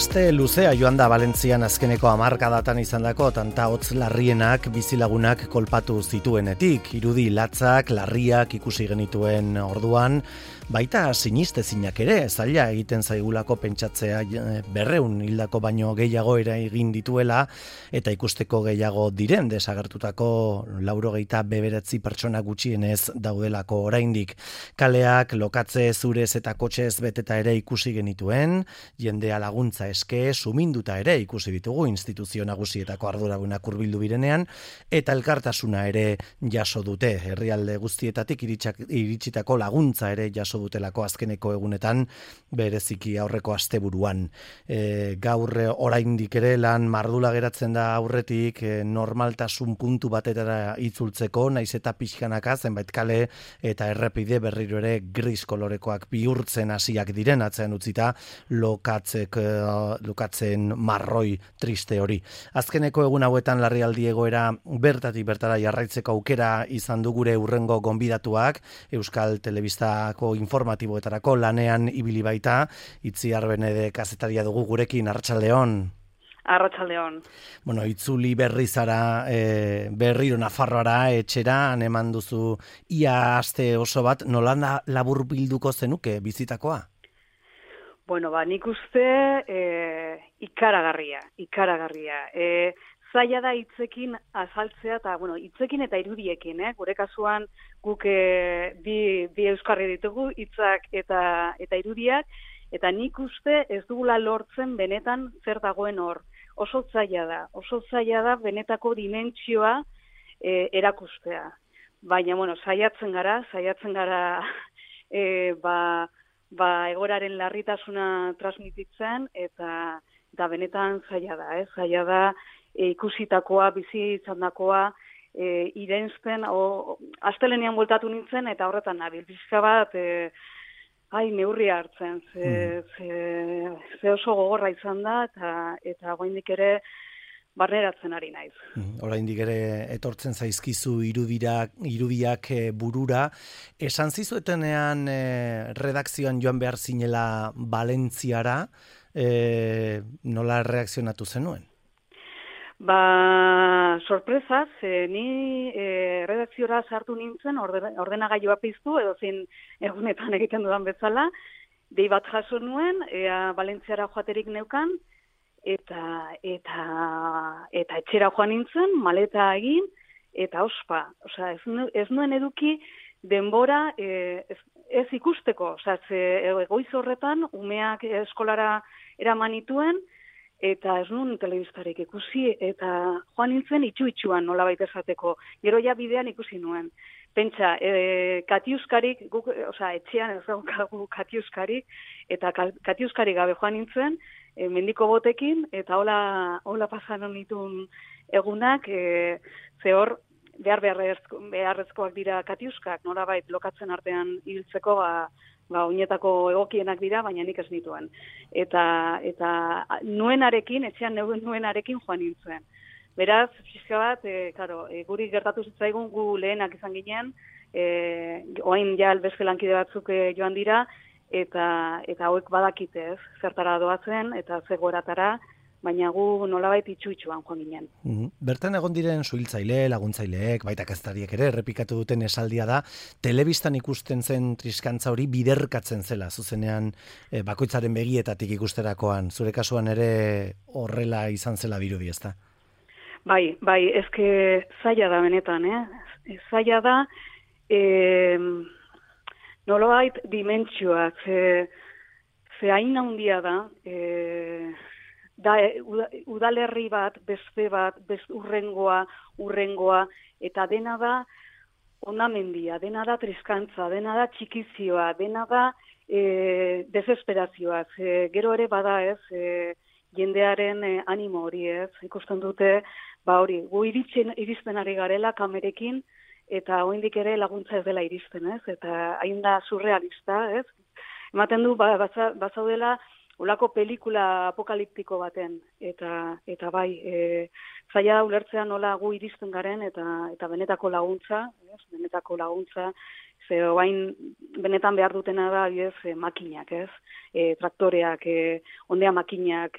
Aste luzea joan da Valentzian azkeneko hamarkadatan izandako tanta hotz larrienak bizilagunak kolpatu zituenetik. Irudi latzak, larriak ikusi genituen orduan, baita sinistezinak ere, zaila egiten zaigulako pentsatzea 200 hildako baino gehiago ere egin dituela, eta ikusteko gehiago diren desagertutako 99 pertsona gutxienez daudelako oraindik. Kaleak lokatze zurez eta kotxez beteta ere ikusi genituen, jendea laguntza eske, suminduta ere ikusi ditugu instituzio nagusietako arduradunak hurbildu birenean, eta elkartasuna ere jaso dute. Herrialde guztietatik iritsitako laguntza ere jaso dutelako azkeneko egunetan, bereziki aurreko asteburuan. Gaur oraindik ere lan mardula geratzen da aurretik, normaltasun puntu batetara itzultzeko, naiz eta pixkanaka zenbait kale eta errepide berriro ere gris kolorekoak bihurtzen hasiak diren atzean utzita lukatzen marroi triste hori. Azkeneko egun hauetan larrialdi egoera bertatik bertara jarraitzeko aukera izan du gure hurrengo gonbidatuak, Euskal Telebistako informatiboetarako lanean ibili baita, Itziar Benede kazetaria dugu gurekin. Arratsaldeon. Arratsaldeon. Bueno, itzuli berri zara berriro Nafarroara etxera, eman duzu ia aste oso bat, nola laburbilduko zenuke bizitakoa? Bueno, nik uste ikaragarria. Zaila da hitzekin azaltzea, eta hitzekin eta irudiekin, gure kasuan guk bi euskarri ditugu, hitzak eta irudiak, eta nik uste ez dugula lortzen benetan zer dagoen hor. Oso zaila da benetako dimentsioa erakustea. Baina, saiatzen gara egoraren larritasuna transmititzen, eta benetan zaila da, ikusitakoa, bizi izandakoa, irensten, astelenean bueltatu nintzen, eta horretan nabil, bizka bat, neurria hartzen, ze oso gogorra izan da, eta oraindik ere barneratzen ari naiz. Oraindik ere etortzen zaizkizu irudiak burura. Esan zizuetenean redakzioan joan behar zinela Valentziara, nola reakzionatu zenuen? Sorpresaz, ni redakziora sartu nintzen, ordenagailua piztu, edo zein egunetan egiten dudan bezala, dei bat jaso nuen, Valentziara joaterik neukan, eta etxera joan nintzen, maleta egin, eta ospa. Osea, ez nuen eduki denbora ez ikusteko. Osea, goiz horretan, umeak eskolara eraman nituen, eta ez nuen telebistarik ikusi, eta joan nintzen itxu-itxuan nolabait esateko. Gero ja bidean ikusi nuen. Pentsa, katiuskarik, etxean ez daukagu katiuskarik, eta katiuskarik gabe joan nintzen, mendiko botekin, eta hola pasan honitun egunak, ze hor, beharrezkoak dira katiuskak, nolabait lokatzen artean hiltzeko, oinetako egokienak dira, baina nik ez nituen. Eta nuenarekin, etxean nuenarekin joan nintzen. Beraz, fiska bat, guri gertatu zitzaigun, gu lehenak izan ginen, oain ja beste lankide batzuk joan dira, eta hauek badakite ez, zertara doazen, eta zegoeratara, baina gu nolabait itxu-itxuan joan ginen. Bertan egon diren suhiltzaile, laguntzaileek, baita kazetariek ere, errepikatu duten esaldia da, telebistan ikusten zen triskantza hori biderkatzen zela, zuzenean bakoitzaren begietatik ikusterakoan, zure kasuan ere horrela izan zela dirudi, ezta? Bai, ezke zaila da benetan, zaila da, nolabait dimentsioak, ze hain handia da, udalerri bat, beste urrengoa, eta dena da ondamendia, dena da triskantza, dena da txikizioa, dena da desesperazioa. Gero ere bada jendearen animo hori ikusten dute, gu iristen ari garela kamerekin, eta oraindik ere laguntza ez dela iristen, eta hain da surrealista, ematen du, bazaudela, olako pelikula apokaliptiko baten, eta bai, zaila da ulertzea nola gu iristen garen, eta benetako laguntza Oain benetan behar dutena da, makinak, ez? Traktoreak, ondea makinak,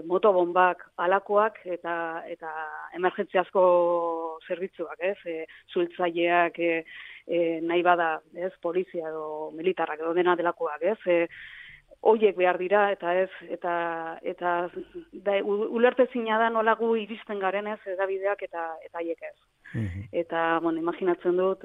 motobombak, alakoak eta emergentziazko zerbitzuak, ez? Zultzaileak, nahi bada, ez? Polizia edo militarrak edo dena delakoak, ez? Hoiek behar dira eta ulertezina da nola gu iristen garen, ez? Edabideak eta haiek ez. Eta, imaginatzen dut,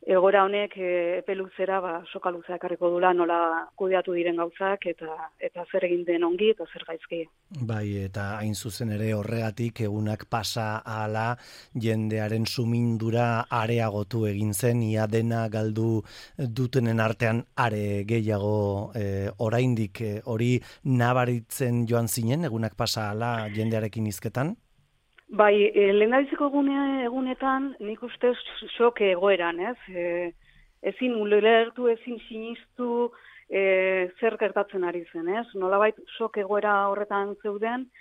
egoera honek epe luzera soka luzea ekarriko dula nola kudeatu diren gauzak eta zer egin den ongi eta zer gaizki. Bai, eta hain zuzen ere horregatik egunak pasa ahala jendearen sumindura areagotu egin zen, ia dena galdu dutenen artean are gehiago oraindik hori nabaritzen joan zinen egunak pasa ahala jendearekin hizketan? Bai, lehendabiziko egunetan nik uste sok egoeran, ez? Ezin ulertu, ezin sinistu zer gertatzen ari zen, ez? Nolabait sok egoera horretan zeuden,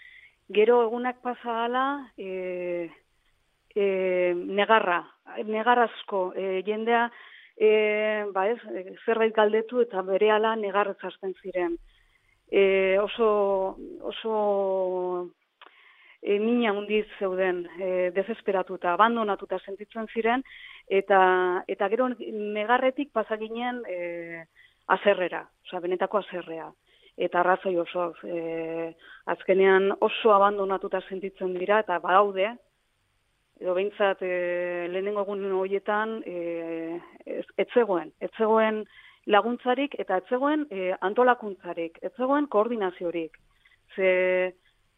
gero egunak pasa hala negarazko jendea zerbait galdetu eta berehala negarrez hasten ziren. Oso mina handiz zeuden, desesperatuta, abandonatuta sentitzen ziren, eta gero negarretik pasaginen azerrera, benetako azerrea. Eta arrazoi oso, azkenean oso abandonatuta sentitzen dira, eta badaude, edo behintzat lehenengo egun horietan etzegoen laguntzarik, eta etzegoen antolakuntzarik, etzegoen koordinaziorik.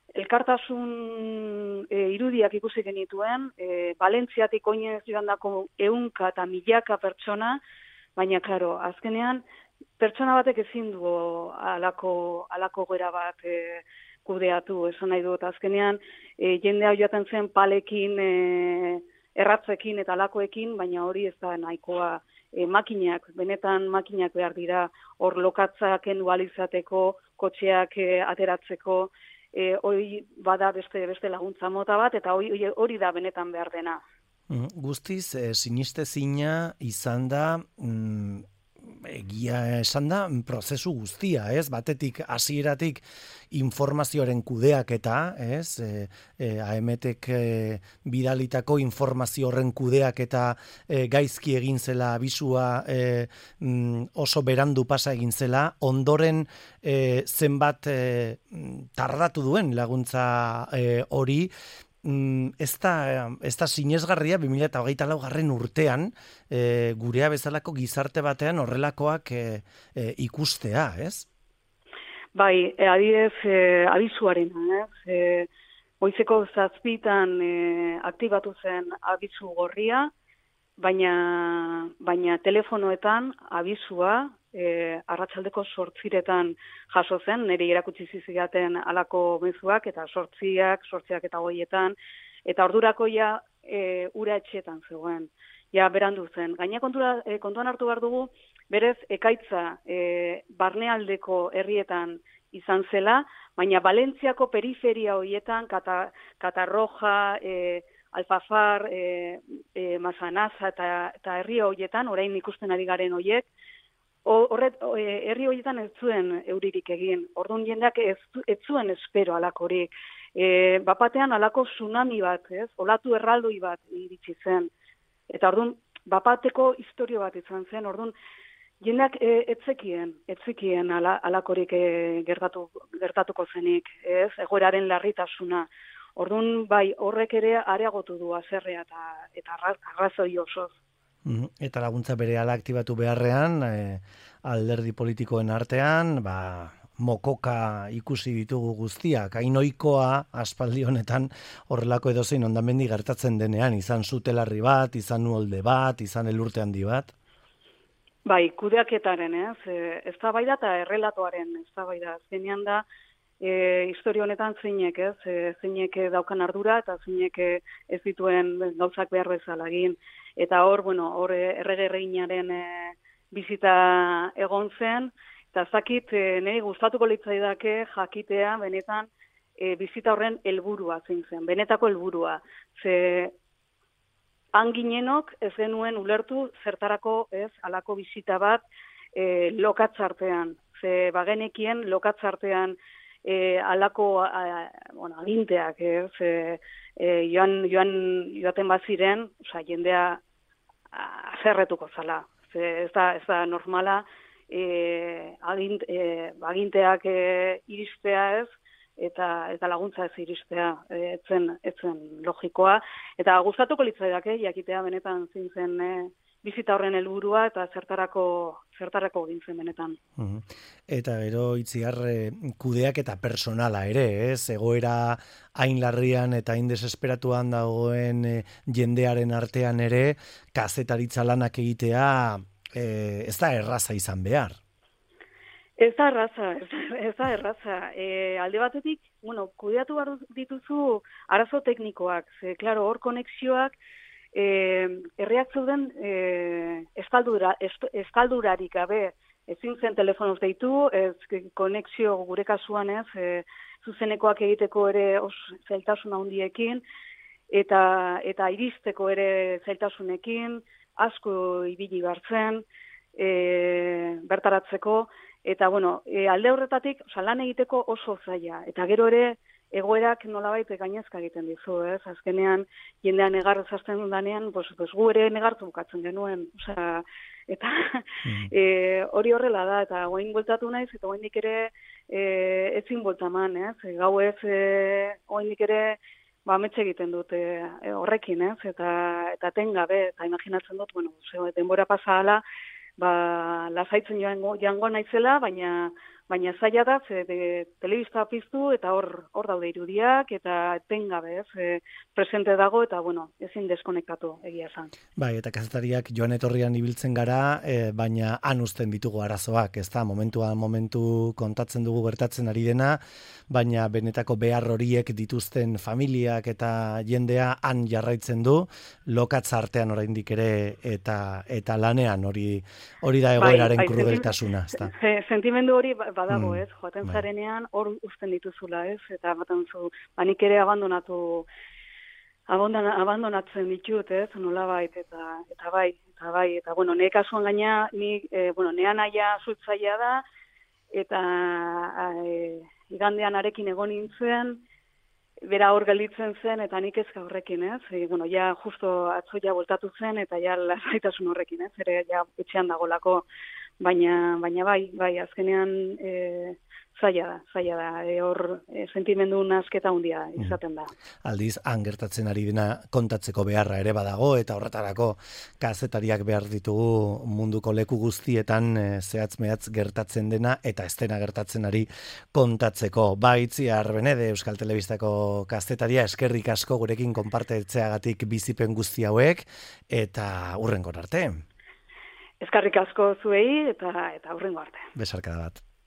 Elkartasun irudiak ikusi genituen, Valentziatik oinez joandako 100 eta milaka pertsona, baina, klaro, azkenean, pertsona batek ezin du alako gera bat kudeatu, esan nahi dut, azkenean, jendea joaten zen palekin, erratzekin eta alakoekin, baina hori ez da nahikoa makinak, benetan makinak behar dira, hor lokatzak endualizateko, kotxeak ateratzeko, hori bada beste laguntza mota bat, eta hori da benetan behar dena. Guztiz, sinistezina izan da, egia esan da, prozesu guztia, ez? Batetik, hasieratik informazioaren kudeaketa, ez? AMTek bidalitako informazio horren kudeaketa gaizki egin zela, abisua oso berandu pasa egin zela, ondoren zenbat tardatu duen laguntza hori, ez da sinesgarria 2024 urtean gurea bezalako gizarte batean horrelakoak ikustea, ez? Bai, adibidez abisuarena, ez? Goizeko 7:00 aktibatu zen abisu gorria, baina telefonoetan abisua arratsaldeko 8:00 jaso zen, niri erakutsi zizigaten alako mezuak, eta 8:00 eta 9:00, eta ordurako ja ura etxetan zegoen, ja berandu zen. Gaina kontuan hartu behar dugu, berez ekaitza barnealdeko herrietan izan zela, baina Valentziako periferia horietan, Katarroja, Alfafar, Masanaza eta herri horietan, orain ikusten ari garen horiek, herri horietan ez zuen euririk egin. Orduan jendeak ez zuen espero alakorik. Bapatean alako tsunami bat, ez? Olatu erraldoi bat iritsi zen. Eta orduan bapateko historio bat izan zen. Orduan jendeak etzekien alakorik gertatuko zenik, ez? Egoeraren larritasuna. Orduan bai horrek ere areagotu du haserrea eta arrazoi osoz. Eta laguntza berehala aktibatu beharrean, alderdi politikoen artean, mokoka ikusi ditugu guztiak, hain ohikoa aspaldi honetan horrelako edozein hondamendi gertatzen denean, izan zutelarri bat, izan uholde bat, izan elurte handi bat. Bai, kudeaketaren, eztabaida eta errelatoaren eztabaida zenean da, historia honetan zeinek, zeinek daukan ardura eta zeinek ez dituen gauzak behar bezala egin. Eta hor errege reginaren bizita egon zen, eta zakit niri gustatuko litzaidake jakitea benetan bizita horren helburua zein zen, benetako helburua. hanginenok ez genuen ulertu zertarako ez alako bisita bat lokatzartean. Ze bagenekien lokatzartean alako aginteak, joaten baziren, jendea azerretuko zala. Ez da normala aginteak iristea ez, eta laguntza ez iristea, etzen logikoa. Eta gustatuko litzaidake jakitea benetan zintzen bizita horren helburua eta zertarako gintzen benetan. Eta gero Itziar kudeak eta personala ere, ez? Egoera hain larrian eta hain desesperatuan dagoen jendearen artean ere, kazetaritza lanak egitea ez da erraza izan behar. Ez da erraza. Alde batetik, kudeatu behar dituzu arazo teknikoak. Ze, klaro, hor konexioak herriak zeuden eskaldurarik gabe ezin zen telefonoz deitu, konexio gure kasuan ez, zuzenekoak egiteko ere zailtasun handiekin, eta iristeko ere zailtasunekin, asko ibili gartzen, bertaratzeko, eta alde horretatik, lan egiteko oso zaila, eta gero ere, egoerak nolabait gainezka egiten dizu, ez? Azkenean, jendean negar zazten danean, gu ere negartu bukatzen genuen. Eta hori horrela da, eta guain bueltatu naiz, eta guainik ere ezin bueltaman, ez? Gau ez, guainik ere ametxe egiten dut horrekin, ez? Eta tengabe, eta imaginatzen dut, denbora pasahala, lasaitzen joango naizela, baina zaila da, telebista piztu eta hor daude irudiak eta etengabe, presente dago eta ezin deskonektatu egia esan. Bai, eta kazetariak joan etorrian ibiltzen gara, baina han uzten ditugu arazoak, ez da, momentu kontatzen dugu gertatzen ari dena, baina benetako behar horiek dituzten familiak eta jendea han jarraitzen du, lokatza artean oraindik ere eta lanean hori da egoeraren krudeltasuna, ez da. Sentimendu hori badago, ez? Joaten zarenean hor uzten dituzula, ez? Eta baten zu, nik ere abandonatzen ditut, ez? Nolabait, eta bai, eta nire kasuan gaina, nean aia zultzaia da, eta igandean arekin egon nintzen, bera hor gelditzen zen, eta nik ezka horrekin, ez? Ja justo atzoia voltatu zen, eta ja lasaitasun horrekin, ez? Ere ja etxean dagolako, baina bai, azkenean zaila da, hor sentimendu nasketa handia izaten da. Aldiz, han gertatzen ari dena kontatzeko beharra ere badago, eta horretarako kazetariak behar ditugu munduko leku guztietan zehatz-mehatz gertatzen dena, eta ez dena gertatzen ari kontatzeko. Itziar Benede, Euskal Telebistako kazetaria, eskerrik asko gurekin konpartetzeagatik bizipen guzti hauek, eta hurrengor arte. Eskerrik asko zuei, eta hurrengo arte. Besarkada bat.